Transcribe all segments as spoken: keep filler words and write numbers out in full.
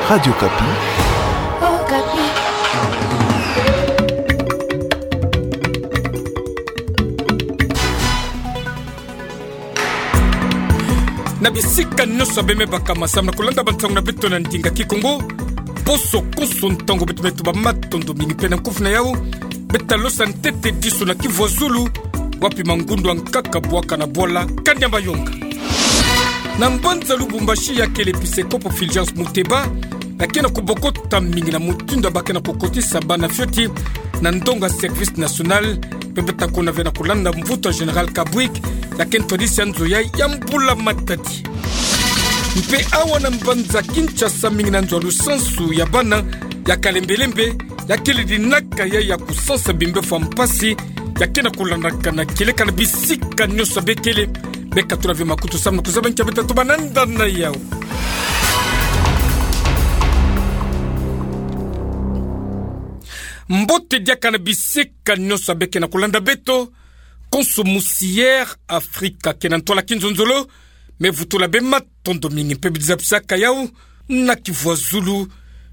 Radio Okapi. Na bisika nyonso abe me bakama samu na kulanda bantangu na beto na ndinga Kikongo. Bonso konso ntangu beto me tuba matondo mingi mpe na nkufi na yau. Beta losa ntete diso na Kivu ya Zulu, wapi mangundu ya nkaka bwaka na bwala Kanya Mayonga. Na mbanza Lubumbashi, ya kele episekopo Fulgence Muteba, ya ke na kubokota mingi na mutindu ya ba ke na kukotisa bana fioti na ndonga service national, mpe beta kuna ve na kulanda mvutu ya Général Kabwik, ya ke ntwadisi ya nzo yai ya mbula matadi. Mpe awa na mbanza Kinshasa, mingi na nzo ya lusansu ya bana ya kalembelembe, ya kele dinaka yai ya kusansa bimbefu ya mpasi, ya ke na kulandakana kieleka na bisika nyonso abe kele. Beka tula ve makutu samu na kuzaba nki beta tuba na nda na yau. Mbote diaka na bisika nyonso abe ke na kulanda beto, konso musi Air Africa ke na ntwala kinzonzolo, me vutula be matondo mingi mpe bidiza bisaka yau na Kivu ya Zulu.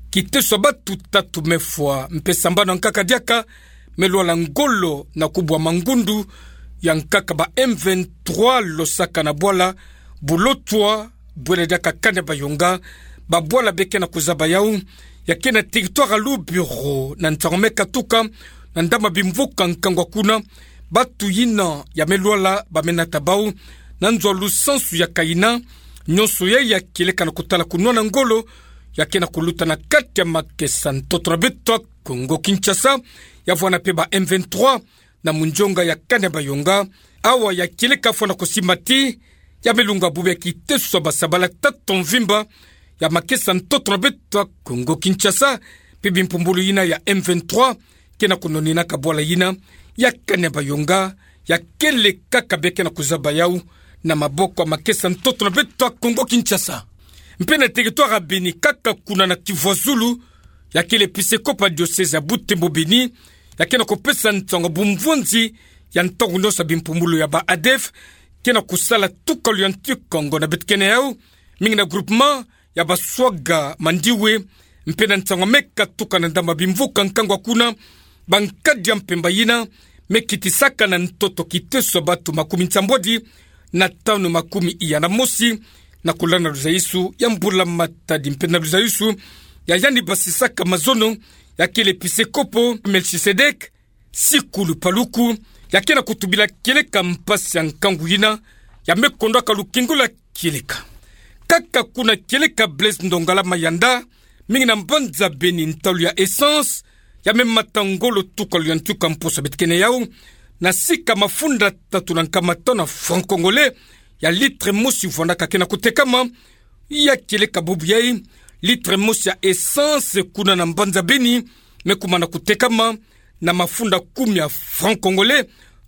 Kiteso ya batu tatu me fwa, mpe sambanu ya nkaka diaka me lwala ngolo na kubwa mangundu ya nkaka ba M vingt-trois losaka na bwala Bulotwa, bwela diaka Kanya Mayonga, babwala be ke na kuzaba yau, ya ke na territoire ya Lubero, na ntangu me katuka na ndambu ya bimvuka nkangu kuna, batu yina ya me lwala ba me nata bau na nzo ya lusansu ya Kaina. Nyonso yai ya kieleka na kutala kunwana ngolo ya ke na kuluta na kati ya makesa ntoto na beto ya Kongo Kinshasa, ya vwanda mpe ba M vingt-trois na munzonga ya Kanya Mayonga. Awa ya kieleka fwa na kusimba ti ya me lunga bubu ya kiteso ya basabala tatu mvimba ya makesa ntoto na beto ya Kongo Kinshasa, mpe bimpumbulu yina ya M vingt-trois ke na kunoninaka bwala yina ya Kanya Mayonga, ya kele kaka be ke na kuzaba yau na maboko ya makesa ntoto na beto ya Kongo Kinshasa. Mpe na territoire ya Beni, kaka kuna na Kivu ya Zulu, ya kele episekopo ya diocèse ya Butembo Beni, ya ke na kupesa nsangu ya bumvonzi ya ntangu nyonso ya bimpumbulu ya ba ADF ke na kusala tukalu ya ntikongo na beto ke na yau, mingi na groupement ya Baswaga Mandiwe, mpe na ntangu me katuka na ndambu ya bimvuka nkangu kuna, bankadi ya mpemba yina me kitisaka na ntoto kiteso ya batu makumi nsambwadi na tanu makumi iya na mosi, na kulanda luzayusu ya mbula matadi mpe na luzayusu ya yandi basisaka mazono, ya kele episekopo Melchisedek Sikulu Paluku, ya ke na kutubila kieleka mpasi ya nkangu yina ya me kondwaka lukingu lwa kieleka. Kaka kuna kieleka Blaise Ndongala Mayanda, mingi na mbanza Beni, ntalu ya essence ya me mata ngolo tukalu ya ntuka mposo beto ke na yau, na sika mafunda tatu na nkama tanu ya francs congolais ya litre mosi vwandaka ke na kutekama. Ya kieleka bubu yai, litre mosi ya essence kuna na mbanza Beni me kuma na kutekama na mafunda kumi ya francs congolais,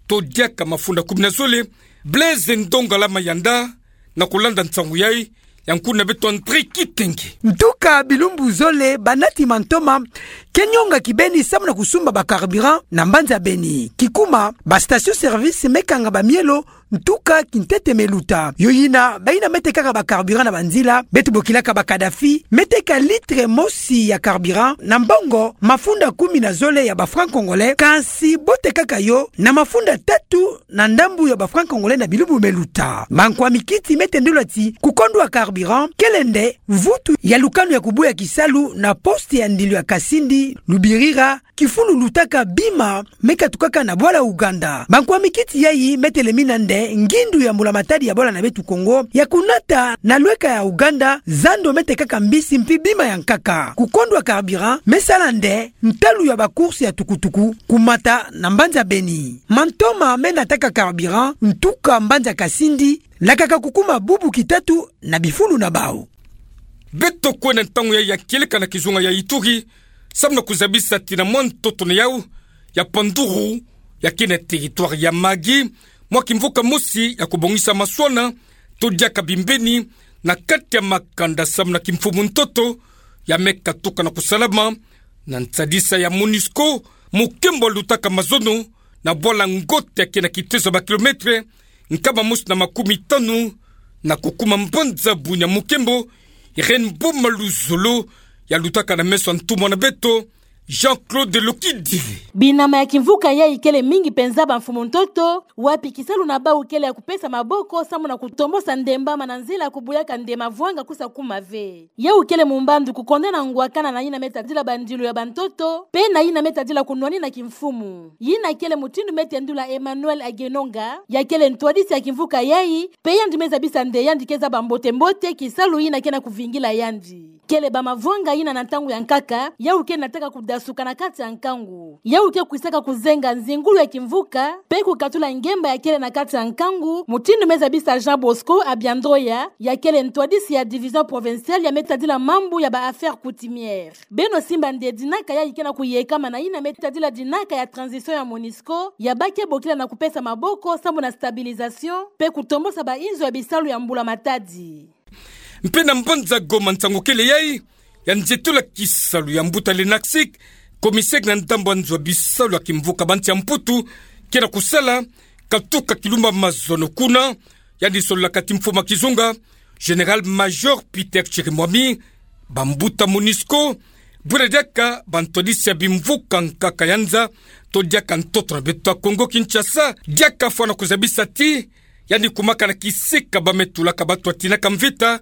to diaka mafunda kumi na zole. Blaise Ndongala Mayanda, na kulanda nsangu yai, ya nkuna beto André Kitenge. Ntuka bilumbu zole banati mantoma ke nyonga kibeni samu na kusumba ba carburant na mbanza Beni. Kikuma, ba station service me kanga bamielo ntuka kintete me luta. Yo yina, bayina me tekaka ba carburant na banzila, beto bokilaka ba Kadhafi, me teka litre mosi ya carburant na mbongo mafunda kumi na zole ya ba francs congolais, kasi bo tekaka yo na mafunda tatu na ndambu ya ba francs congolais na bilumbu me luta. Bankwa mikiti me tendula ti kukondwa carburant kele nde vutu ya lukanu ya kubuya kisalu na poste ya ndilu ya Kasindi, Lubirira, kifulu lutaka bima me katukaka na bwala Uganda. Bankwa mikiti yai me telemina nde ngindu ya mbulamatadi ya bwala na beto Kongo ya kunata na lweka ya Uganda zando me tekaka mbisi mpi bima ya nkaka. Kukondwa carburant me sala nde ntalu ya ba course ya tukutuku kumata na mbanza Beni. Mantoma me nataka carburant ntuka mbanza Kasindi lakaka kukuma bubu kitatu na bifulu na bau. Beto kwenda ntangu yai ya kieleka na kizunga ya Ituri, samu na kuzabisa ti na mwa ntoto na yau ya Panduru, ya ke na territoire ya Mahagi, mwa kimvuka mosi ya kubongisa maswana to diaka bimbeni na kati ya makanda samu na kimfumu ntoto ya me katuka na kusalama. Na nsadisa ya MONUSCO, mukembo lutaka mazono na bwala Ngote ya ke na kitezo ya ba kilomètre nkama mosi na makumi tanu na kukuma mbanza Bunia, mukembo Irène Boma Luzolo yalutaka na meso ya ntumwa na beto, Jean-Claude Lokidile. Binama ya kimvuka yayi kele mingi penza bamfumu ntoto, wapi kisalu na bau kele ya kupesa maboko sambu na kutombosa ndembama na nzila kubuyaka nde mavwanga kusa kuma ve. Yau kele mumbandu kukondena ngwakana na yina me tadila bandilu ya bantoto, pe na yina me tadila kunwanina kimfumu. Yina kele mutindu me tendula Emmanuel Agenonga, ya kele ntwadisi ya kimvuka yayi, pe yandi me zabisa nde yandi ke zaba mbote-mbote kisalu yina ke na kuvingila yandi. Kele bamavwanga yina na ntangu ya nkaka, yau ke nataka kudasuka na kati ya nkangu. Yau ke kwisaka kuzenga nzingulu ya kimvuka, pe kukatula ngemba ya kele na kati ya nkangu, mutindu me zabisa Jean Bosco Abiandoya, ya kele ntwadisi ya division provinciale ya me tadila mambu ya ba affaires coutumières. Beno simba nde dinaka yayi ke na kuyekama na yina me tadila dinaka ya transition ya MONUSCO, ya ba ke bokila na kupesa maboko sambu na stabilisation, pe kutombosa bainzo ya bisalu ya mbula-matadi. Mpe na mbanza Goma nsangu kele yayi, ya nzietula kisalu ya mbuta Lenaxic, commissaire na ndambu ya nzo ya bisalu ya kimvuka ba nsi ya Mputu, ke na kusala, katuka kilumba mazono kuna, yandi sololaka ti mfumu ya kizunga, Général-Major Peter Chirimwami, bambuta MONUSCO, bwela diaka bantwadisi ya bimvuka nkaka ya nza, to diaka ntoto na beto ya Congo Kinshasa, diaka fwana kuzabisa ti, yandi kumaka na kisika ba me tulaka bato ya tinaka mvita,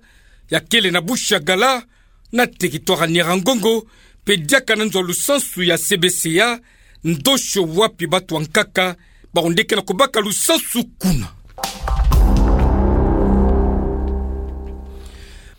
ya kele na Bushagala, na territoire ya Nyiragongo, pe diaka na nzo ya lusansu ya C B C A, ndosi wapi bato ya nkaka, bawu nde ke na kubaka lusansu kuna.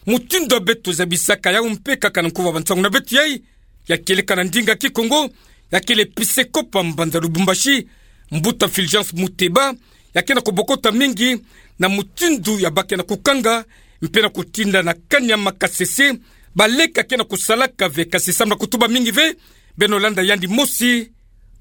Mutindu ya beto zabisaka yawu mpe kaka na nkuva bansangu na beto yayi, ya kieleka na ndinga kikongo, ya kele episkopo ya mbanza Lubumbashi, mbuta Fulgence Muteba, ya ke na kubokota mingi na mutindu ya ba ke na kukanga, mpe na kutinda na kani ya makasese, baleke ya ke na kusalaka ve kasi samu na kutuba mingi ve, beno landa yandi mosi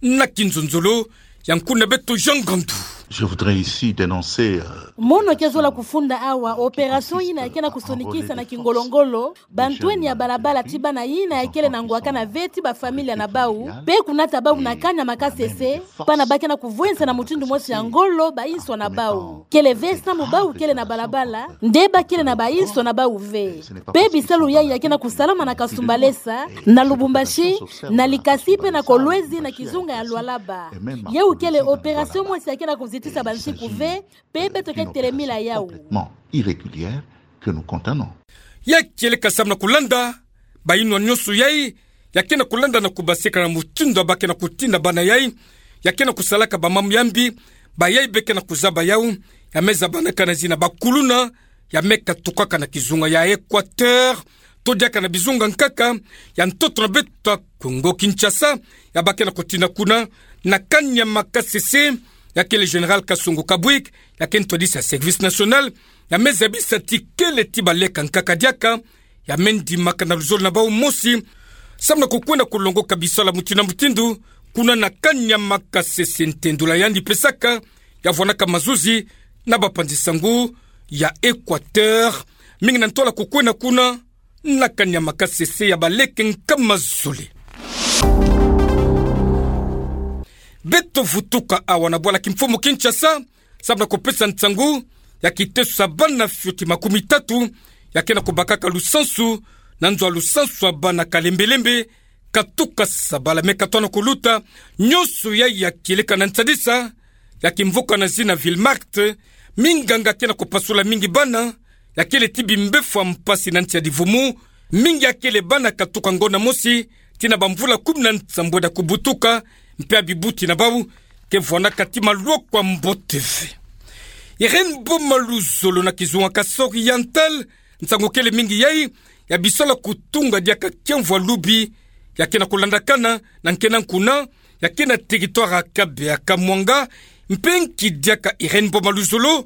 na kinzonzolo, ya nkuna beto Jean Ngandu. Je voudrais ici dénoncer, euh, Mono ke zola kufunda awa opération yina ya ke na kusonikisa na kingolo-ngolo, bantweni ya balabala ti bana yina ya kele na ngwakana ve ti bafamilia na bawu, pe kunata bawu na kani ya makasese, pana ba ke na kuvwensa na mutindu mosi ya ngolo bainso na bawu. Kele ve samu bawu kele na balabala, nde ba kele na bainso na bawu ve. Pe bisalu yayi ya ke na kusalama na Kasumbalesa, na Lubumbashi, na Likasi pe na Kolwezi na kizunga ya Lualaba. Yawu kele opération mosi ya ke na kuzitisa bansiku ve, pe beto ke telemila yawu. Complètement irrégulière que nous condamnons. Ya kieleka samu na kulanda, bayinwa nyonso yayi, ya ke na kulanda na kubaseka na mutindu ya ba ke na kutinda bana yayi, ya ke na kusalaka bamambu ya mbi, bayayi be ke na kuzaba yawu, ya me zabanaka na zina bakuluna, ya me katukaka na kizunga ya Équateur, to diaka na bizunga nkaka ya ntoto na beto ya Congo Kinshasa, ya ba ke na kutinda kuna, na kani ya makasese, ya kele Général Kasongo Kabwik, ya ke ntwadisi ya Service National, ya me zabisa ti kele ti baleka nkaka diaka, ya me ndimaka na luzolo na bawu mosi, samu na kukwenda kulongoka bisalu ya mutindu na mutindu, kuna na kani ya makasese ntendula yandi pesaka, ya vwanaka mazuzi na bapanzi-nsangu ya Équateur, mingi na ntwala kukwenda kuna, na kani ya makasese ya baleke nkama zole. Beto vutuka awa na bwala kimfumu Kinshasa, samu na kupesa nsangu ya kiteso ya bana fioti makumi tatu, ya ke na kubakaka lusansu, na nzo ya lusansu ya bana kalembelembe, katuka sabala me katona kuluta, nyonso yayi ya kieleka na nsadisa ya kimvuka na zina Ville Martyrs, minganga ke na kupasula mingi bana, ya kele ti bimbevo ya mpasi na nsi ya Livumu, mingi ya kele bana katuka ngonda mosi, tii na bamvula kumi na nsambweda kubutuka, mpe ya bibuti na bawu ke vwanaka ti malwako ya mbote ve. Irène Boma Luzolo na kizunga Kasai Oriental, nsangu kele mingi yayi, ya bisalu ya kutunga diaka kiamvu ya lubi, ya ke na kulandakana, na nkena nkuna, ya ke na territoire ya Kabeya Kamwanga, mpe nki diaka Irène Boma Luzolo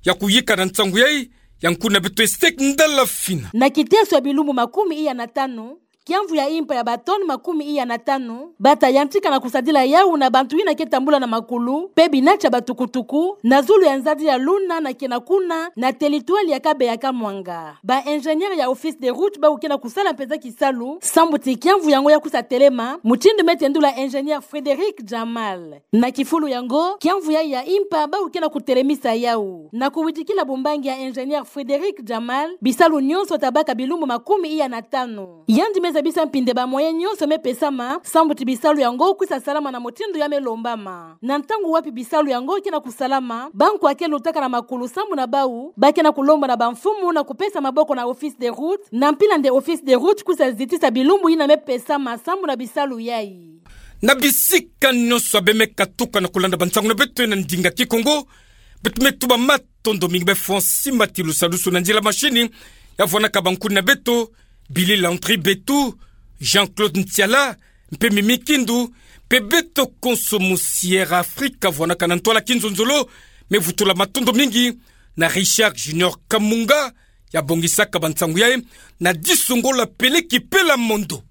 ya kuyika na nsangu yayi, ya nkuna beto Estec Ndala Fina. Na kiteso ya bilumbu makumi iya na tanu, kiamvu ya impa ya batoni makumi iya na tanu, bata yantika na kusadila yawu na bantu yina ke tambula na makulu, pe binati ya batukutuku, na zulu ya nzadi ya luna na kena kuna, na territoire ya Kabeya Kamwanga. Ba ingénieurs ya Office des Routes bawu ke na kusala mpenza kisalu, samu ti kiamvu yango ya kusa telema, mutindu me tendula ingénieur Frédéric Jamal. Na kifulu yango, kiamvu yayi ya impa bawu ke na kutelemisa yawu. Na kuwidikila bumbangi ya ingénieur Frédéric Jamal, bisalu nyonso ta baka bilumbu makumi iya na tanu. Yandi me zabisa mpinde ba moyens nyonso mepesama sambu ti bisalu yango kwisa salama na mutindu ya melombama. Na ntangu wapi bisalu yango ke na kusalama, bankwa ke lutaka na makulu sambu na bau ba ke na kulomba na bamfumu na kupesa maboko na Office des Routes, na mpila nde Office des Routes kwisa zitisa bilumbu yina mepesama sambu na bisalu yai. Na bisika nyonso ya beno me katuka na kulanda bansangu na beto na ndinga Kikongo, beto me tuba matondo mingi. Beno fweti mati lusadusu na nzila machine ya vwanaka bankuni na beto, Billy Landry Betu, Jean-Claude Ntiala, mpe Mimi Kindu, mpe beto konso mu Sierra Africa vwanaka na ntwala kinzonzolo, me vutula matondo mingi na Richard Junior Kamunga, ya bongisaka bansangu yai, na disu ngo la peleki pela mondo.